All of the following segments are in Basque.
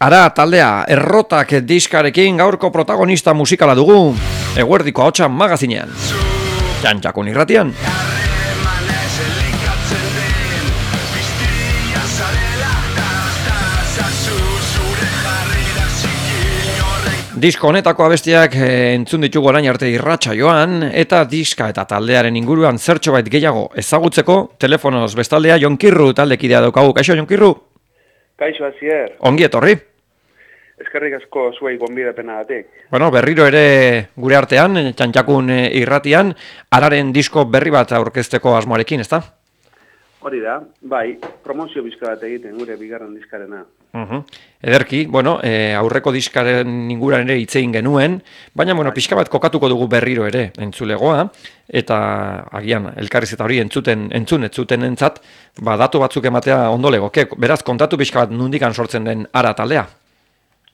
Ara taldea, errotak diskarekin gaurko protagonista musikala dugu, eguerdiko ahotsa magazinean. Txantxakun irratian. Disko honetako abestiak entzun ditugu orain arte irratsaioan, eta diska eta taldearen inguruan zertxobait gehiago ezagutzeko, telefonoz bestaldea Jonkirru taldekidea daukagu. Kaixo, Jonkirru? Kaixo, Asier. Ongi etorri. Eskerrik asko zuei gonbidapenagatik. Bueno, berriro ere gure artean, Txantxakun irratian, Araren disko berri bat aurkezteko asmoarekin, ezta? Hori da, bai, promozio bizka bat egiten gure bigarren diskarena. Ederki, bueno, aurreko diskaren inguran ere hitz egin genuen, baina bueno, pixka bat kokatuko dugu berriro ere entzulegoa, eta agian elkarrizketa hori entzun ez zuten entzat, datu batzuk ematea ondo legoke. Beraz, kontatu pixka bat nondikan sortzen den Ara taldea?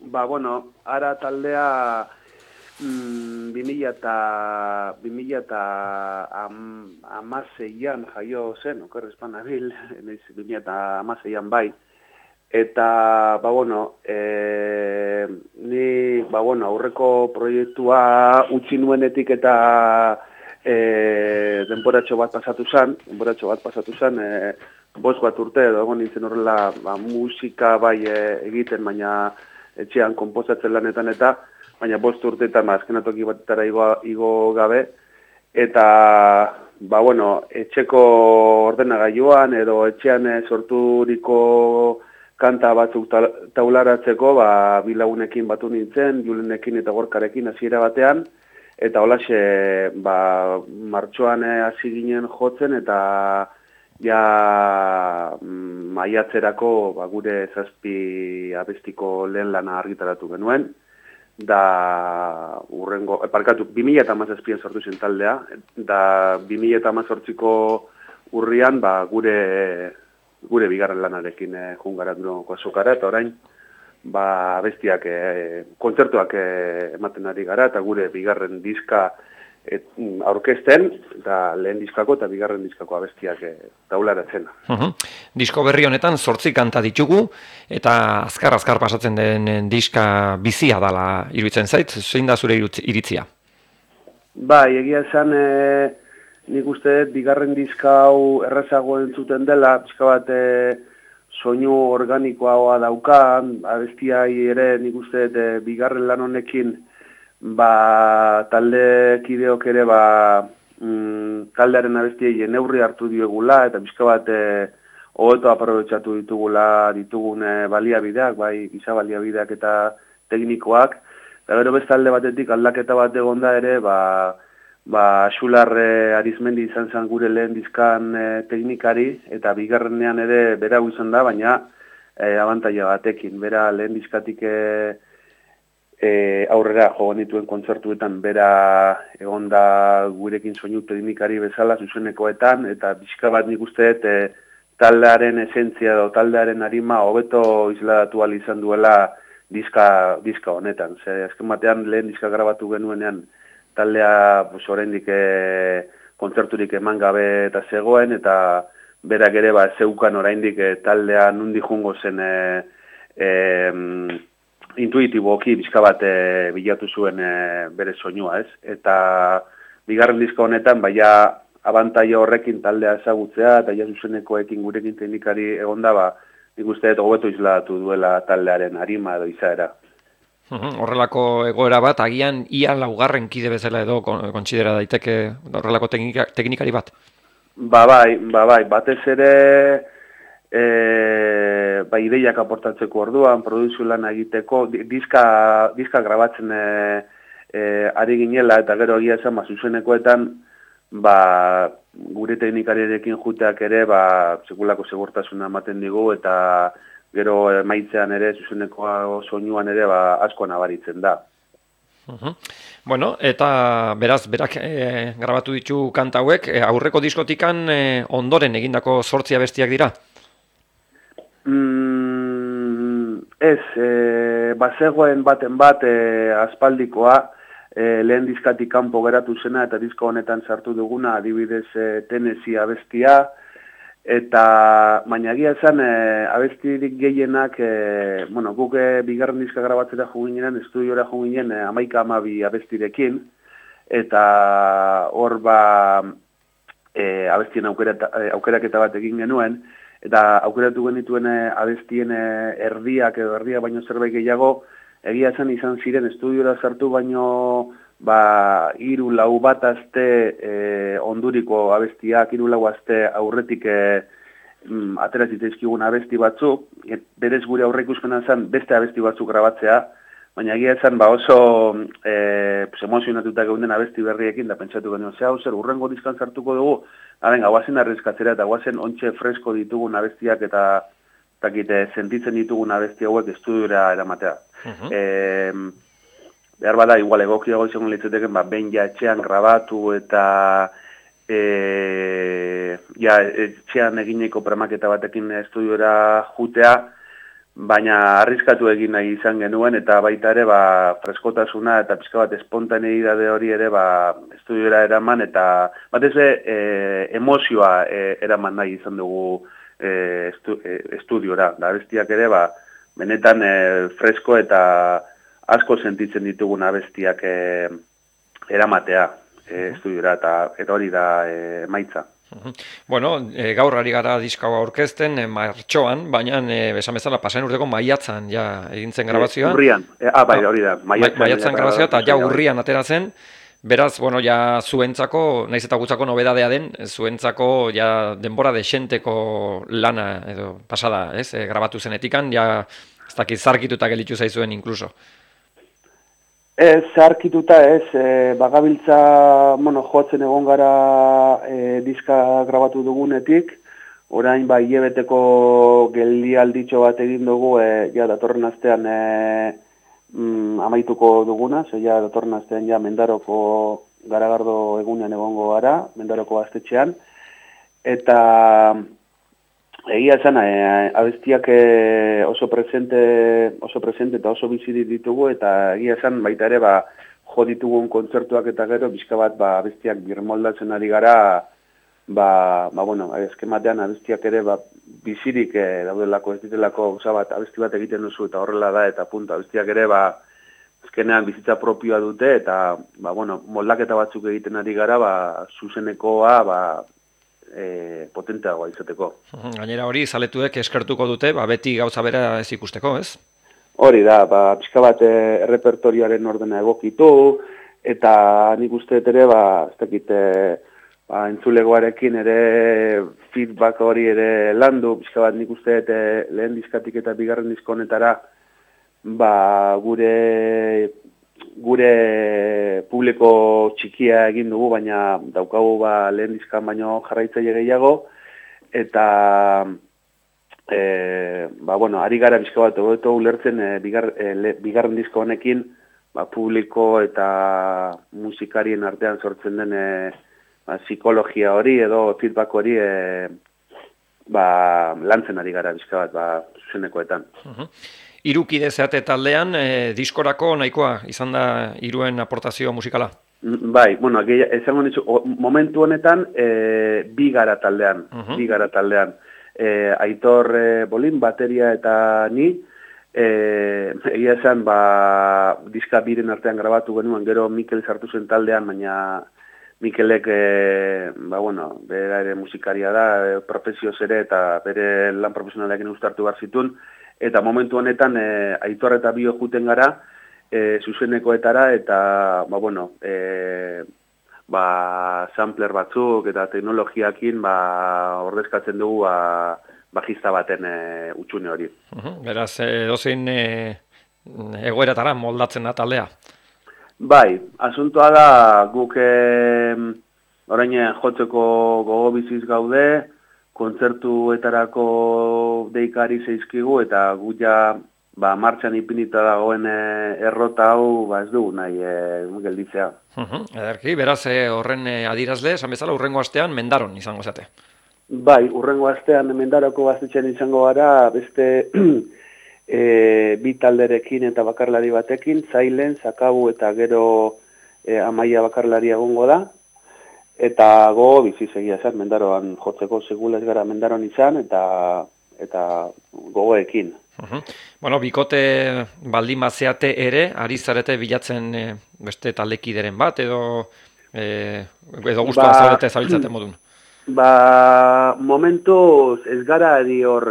Bueno, Ara taldea 2016an jaio zen, okerrezpan nabil, 2016an bai. Eta, ni, aurreko proiektua utzi nuenetik eta denboratxo bat pasatu zan, 5 urte edo egon nintzen horrela musika bai egiten, baina etxean konposatzen lanetan eta, baina 5 urteetan azkenatoki batetara igo gabe, eta, etxeko ordenagailuan edo etxean sorturiko kanta batzuk taularatzeko, bi lagunekin batu nintzen, Julenekin eta Gorkarekin hasiera batean, eta holaxe, martxoan hasi ginen jotzen, eta ja maiatzerako gure 7 abestiko lehen lana argitaratu genuen, da 2017an sortu zen taldea, da 2018ko urrian gure bigarren lanarekin jungaratuko azokara, eta orain bestiak, kontzertuak ematen ari gara, eta gure bigarren diska aurkezten, eta lehen diskako eta bigarren diskako abestiak taularatzen. Disko berri honetan 8 kanta ditugu, eta azkar pasatzen den diska bizia dala iruditzen zait, zein da zure iritzia? Bai, egia esan, nik uste bigarren diska hau errazago entzuten dela, pixka bat soinu organikoa dauka, abestiai ere nik uste bigarren lan honekin taldekideok ere taldearen abestiei neurri hartu diegula, eta pixka bat hobeto aprobetxatu ditugun baliabideak, bai giza baliabideak eta teknikoak, eta gero bestalde batetik aldaketa bat egonda ere, Xular Arizmendi izan zen gure lehen dizkan teknikari, eta bigarrenean ere bera izan da, baina abantaila batekin. Bera lehen dizkatik aurrera jo nituen kontzertuetan bera egonda gurekin soinu teknikari bezala zuzenekoetan, eta bizka bat nik uste taldearen esentzia edo taldearen arima hobeto isladatu ahal izan duela diska honetan. Azken batean lehen diska grabatu genuenean taldea oraindik kontzerturik eman gabe eta zegoen, eta berak ere zeukan oraindik taldea nundi jungo zen intuitiboki bizka bat bilatu zuen bere soinua, ez? Eta bigarren diska honetan abantaila horrekin taldea ezagutzea, eta zuzenekoekin gurekin teknikari egonda, nik uste hobeto isladatu duela taldearen arima edo izaera. Horrelako egoera bat, agian ia 4. kide bezala edo kontsidera daiteke horrelako teknikari bat? Bai, batez ere ideiak aportatzeko orduan, produzio lana egiteko, diska grabatzen ari ginela, eta gero egia esan zuzenekoetan, gure teknikariarekin juteak ere, sekulako segurtasuna ematen digu, eta gero maitzean ere, zuzenekoa soinuan ere, asko nabaritzen da. Bueno, eta beraz, berak grabatu ditu kanta hauek, aurreko diskotikan ondoren egindako 8 abestiak dira? Ez, bazegoen baten bat aspaldikoa, lehen diskatik kanpo geratu zena, eta disko honetan sartu duguna, adibidez Tennessee abestia, Eta, baina egia esan, abestirik gehienak, guk bigarren diska grabatzera juginen, estudiora juginen 11-12 abestirekin, eta hor abestien aukeraketa bat egin genuen, eta aukeratu genituen abestien erdia baino zerbait gehiago, egia esan izan ziren estudiora sartu baino 3-4 bat aste onduriko abestiak, 3-4 aste aurretik atera zitzaizkigun abesti batzuk, berez gure aurreikuspena zen beste abesti batzuk grabatzea, baina egia esan oso emozionatuta geunden abesti berriekin, da pentsatu genuen, zer, urrengo diskan sartuko dugu, guazen arriskatzera eta guazen ontxe fresko ditugun abestiak eta sentitzen ditugun abesti hauek estudiora eramatea. Behar bada, igual egokiago izango litzateken, behin etxean grabatu eta etxean egineko premaketa batekin estudiora jutea, baina arriskatu egin nahi izan genuen, eta baita ere freskotasuna eta pixka bat espontaneidade hori ere estudiora eraman, eta batez emozioa eraman nahi izan dugu estudiora. Da abestiak ere benetan fresko eta asko sentitzen ditugun abestiak eramatea estudiora, eta hori da emaitza. Bueno, gaur ari gara diskaua aurkezten martxoan, baina esan bezala pasen urteko maiatzan ja egintzen grabazioa. Urrian, hori da. Maiatzan grabazioa eta ja urrian atera zen. Beraz, ja zuentzako, naiz eta gutzako nobedadea den, zuentzako ja denbora desenteko lana edo pasada, ez? Grabatu zenetikan, ja ez dakit zarkituta gelditu zaizuen inkluso. Zarkituta ez, bagabiltza, jotzen egon gara diska grabatu dugunetik, orain hilabeteko geldialditxo bat egin dugu, datorren astean amaituko duguna, datorren astean Mendaroko Garagardo egunean egongo gara, Mendaroko gaztetxean, eta egia esan, abestiak oso presente eta oso bizi ditugu, eta egia esan baita ere jo ditugun kontzertuak eta gero bizka bat abestiak birmoldatzen ari gara, eskematean abestiak ere bizirik daudelako, ez ditelako abesti bat egiten duzu eta horrela da, eta punto, abestiak ere azkenean bizitza propioa dute, eta moldaketa batzuk egiten ari gara, zuzenekoa potenteagoa izateko. Gainera hori, zaletuek eskertuko dute, beti gauza bera ez ikusteko, ez? Hori da, pixka bat errepertorioaren ordena egokitu, eta nik uste ere, ez dakit, entzulegoarekin ere feedback hori ere landu, pixka bat nik uste lehen diskatik eta bigarren disko honetara, gure publiko txikia egin dugu, baina daukagu lehen diskan baino jarraitzaile gehiago, eta ari gara bizka bat hobeto ulertzen bigarren disko honekin publiko eta musikarien artean sortzen den psikologia hori edo feedback hori lantzen ari gara bizka bat zuzenekoetan. Hirukide zeate taldean, diskorako nahikoa izan da hiruen aportazio musikala? Bai, esango nizu, momentu honetan bi gara taldean. Aitor Bolin, bateria eta ni, egia esan, diska biren artean grabatu genuen, gero Mikel sartu zen taldean, baina Mikelek, bera ere musikaria da, profesioz ere, eta bere lan profesionalekin ustartu behar zituen, eta momentu honetan Aitor eta bio juten gara, zuzenekoetara, eta, sampler batzuk eta teknologiakin ordezkatzen dugu bajista baten utxune hori. Beraz, dozein egoeratara moldatzen da taldea? Bai, asuntoa da guk orain jotzeko gogo biziz gaude, kontzertuetarako deikari zeizkigu, eta gu ja martxan ipinita dagoen errota hau ez dugu nahi gelditzea. Ederki, beraz horren adirazle, esan bezala, urrengo astean Mendaron izango zate. Bai, urrengo astean Mendaroko gaztetxean izango gara, beste bi talderekin eta bakarlari batekin, Zailen, Zakabu eta gero Amaia bakarlari egongo da. eta go bizi segia esan, mendaroan jotzeko segula ez gara mendaroan izan, eta gogoekin. Bueno, bikote baldin bazeate ere, ari zarete bilatzen beste taldekideren bat, edo guztua zaudete zabiltzate modun? Momentuz ez gara edi hor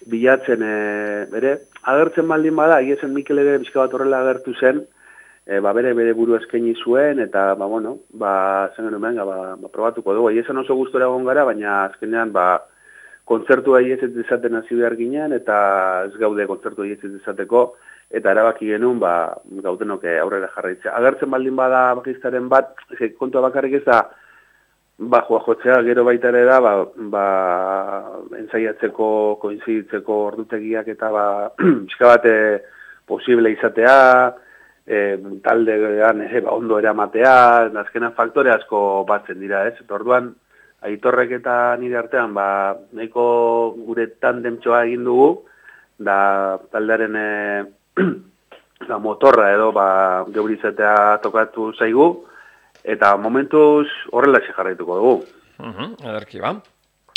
bilatzen, bere, agertzen baldin bada, egiesen Mikel ere bizka bat horrela agertu zen, bere buru eskaini zuen, eta, zen genuen, probatuko dugu. Egiesen oso gustora egon gara, baina azkenean, kontzertu ez dezaten hasi behar ginen, eta ez gaude kontzertu ez dezateko, eta erabaki genuen, gaudenok aurrera jarraitzea. Agertzen baldin bada bakiztaren bat, kontua bakarrik ez da, jotzea, gero baita ere da, entzaiatzeko, koinziditzeko ordutegiak eta pixka bat posible izatea, taldean ondo eramatea, azkenan faktore asko batzen dira, ez? Eta orduan, Aitorrek eta nire artean, nahiko gure tandemtxoa egin dugu, da taldearen motorra edo geurizatea tokatu zaigu, eta momentuz horrela jarraituko dugu. Ederki ba.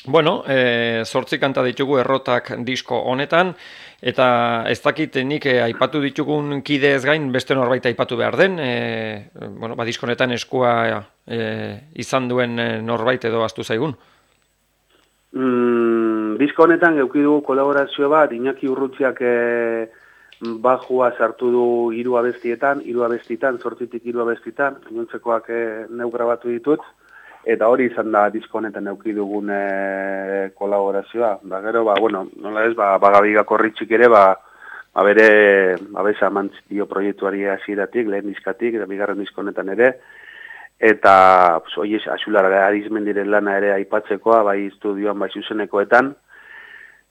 Bueno, 8 kanta ditugu errotak disko honetan, eta ez dakit nik aipatu ditugun kide ez gain beste norbait aipatu behar den, disko honetan eskua izan duen norbait edo ahaztu zaigun? Disko honetan eduki dugu kolaborazio bat, Iñaki Urrutziak bajua sartu du 3 abestietan, 8tik 3 abestitan, gainontzekoak neu grabatu ditut, eta hori izan da disko honetan eduki dugun kolaborazioa. Gero, nola ez, Gabigako Ritxik ere, bere abesa mantzio proiektuari hasieratik, lehen diskatik, eta bigarren disko honetan ere, eta hori Axulara Arizmendiren lana ere aipatzekoa, bai estudioan, bai zuzenekoetan,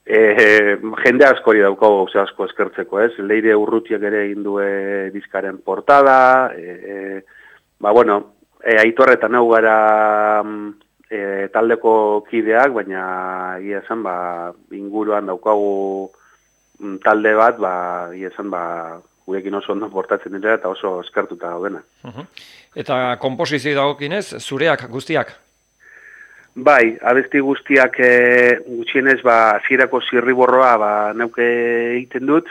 jende askori daukago gauza asko eskertzeko, ez? Leire Urrutiak ere egin du diskaren portada, Aitor eta nau gara taldeko kideak, baina egia esan, inguruan daukagu talde bat, egia esan, gurekin oso ondo portatzen dira eta oso eskertuta gaudena. Eta komposizio dagokinez, zureak guztiak? Bai, abesti guztiak gutxienez, hasierako zirriborroa neuke egiten dut,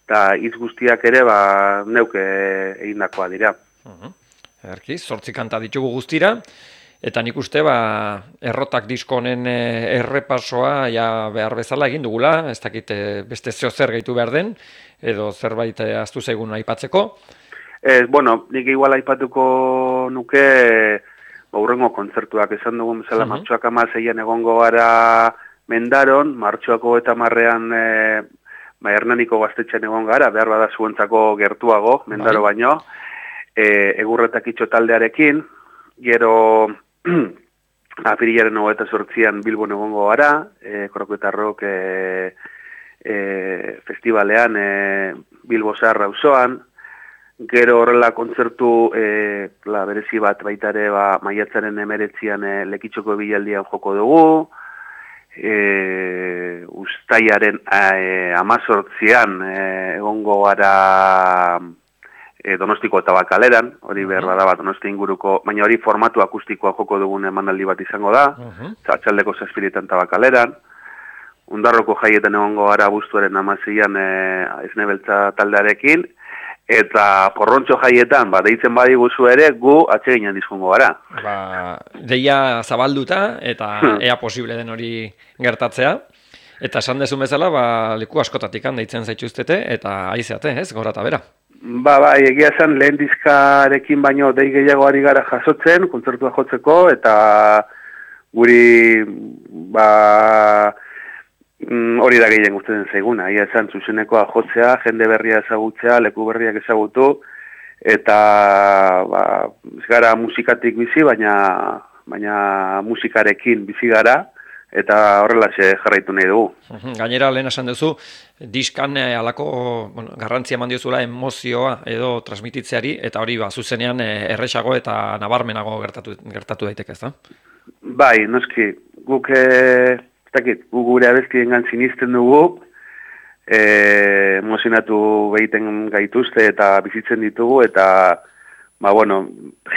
eta hitz guztiak ere neuke egindakoa dira. Erki, 8 kanta ditugu guztira, eta nik uste errotak disko honen errepasoa behar bezala egin dugula, ez dakit beste zer gehitu behar den, edo zerbait ahaztu zaigun aipatzeko. Nik igual aipatuko nuke hurrengo kontzertuak esan dugun bezala, martxoak 16an egongo gara Mendaron, martxoak 30an Hernaniko gaztetxean egon gara, behar bada zuentzako gertuago, Mendaro baino, Egurretak itxo taldearekin, gero apirilaren 28an Bilbon egongo gara, Kroketarrok festivalean Bilbo Zaharra auzoan, gero horrela kontzertu berezi bat baita ere maiatzaren 19an Lekitxoko bilaldian joko dugu, Uztailaren 18an egongo gara Donostiko eta Bakaleran, hori behar bada Donosti inguruko, baina hori formatu akustikoa joko dugun emanaldi bat izango da, Atxaldeko 7etan eta Bakaleran, Undarroko jaietan egongo gara abuztuaren 16an Esnebeltza taldearekin, eta Porrontxo jaietan, deitzen badiguzu ere, gu atseginan dizkongo gara. Deia zabalduta, eta ea posible den hori gertatzea, eta esan dezun bezala, leku askotatik deitzen zaituztete, eta aizeate, ez, gora eta bera. Egia esan lehen diskarekin baino dei gehiago ari gara jasotzen, kontzertua jotzeko, eta guri hori da gehien gustatzen zaiguna. Egia esan zuzenekoa jotzea, jende berria ezagutzea, leku berriak ezagutu, eta ez gara musikatik bizi, baina musikarekin bizi gara, eta horrela jarraitu nahi dugu. Gainera, lehen esan duzu, diskan alako garrantzia eman diozula emozioa edo transmititzeari, eta hori zuzenean erresago eta nabarmenago gertatu daiteke, ez da? Bai, noski, guk gure abestiengan sinisten dugu, emozionatu behiten gaituzte eta bizitzen ditugu, eta bueno,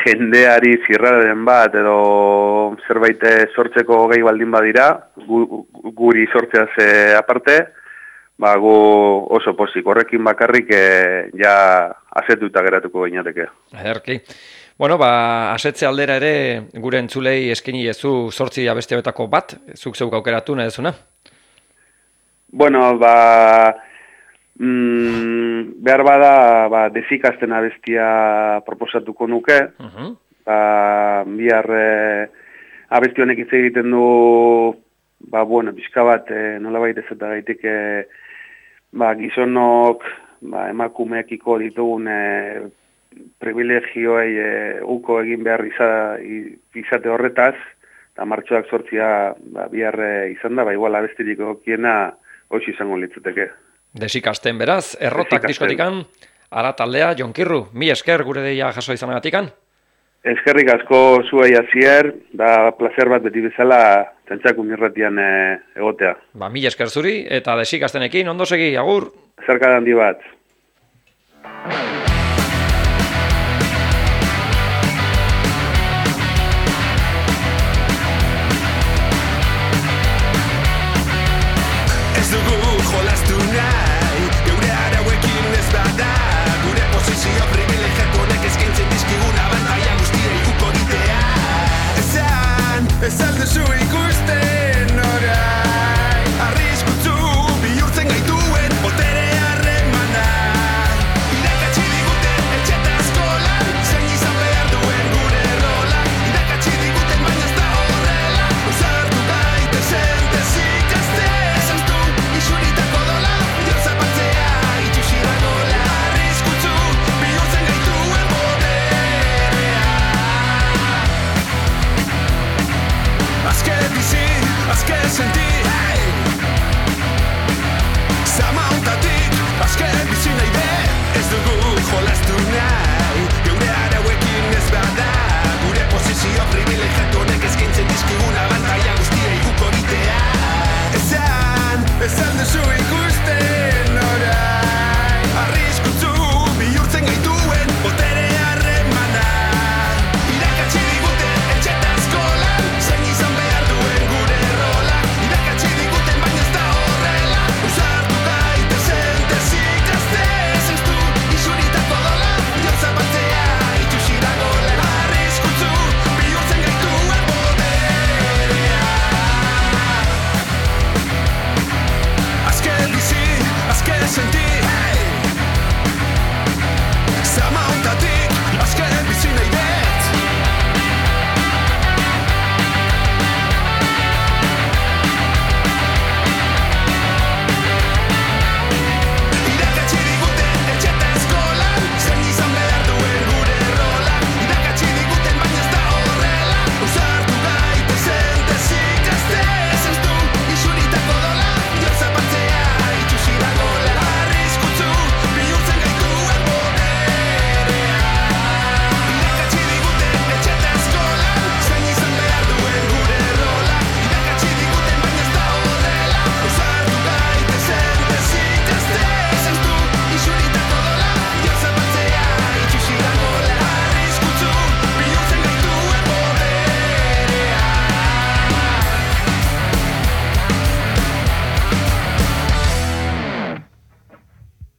jendeari zirraren bat edo zerbait sortzeko gai baldin badira, guri sortzeaz aparte, gu oso pozik, horrekin bakarrik ja asetuta geratuko gainateke. Ederki. Bueno, asetze aldera ere gure entzulei eskaini ezu 8 abesti hauetako bat, zuk zeuk aukeratu nahi duzuna? Bueno, behar bada desikazten abestia proposatuko nuke. Bihar abesti honek hitz egiten du, pixka bat nolabait ez eta gaitik gizonok emakumeekiko ditugun privilegioei uko egin behar izate horretaz, eta martxoak 8 bihar izan da, igual abestirik egokiena hoxe izango litzateke. Desikasten beraz, errotak diskotikan, ara taldea, Jon Kirru, mi esker gure deia jaso izanagatikan? Eskerrik asko zuei hasier, da placer bat beti bezala Txantxakun irratian egotea. Mi esker zuri, eta desikastenekin, ondo segi, agur! Zerka handi bat. Ez dugu jolastu nahi, geure arauekin ez bada, gure posizio privilegiatu honek eskaintzen dizkigun abantaila guztiei uko ditea. Esan duzu ikusi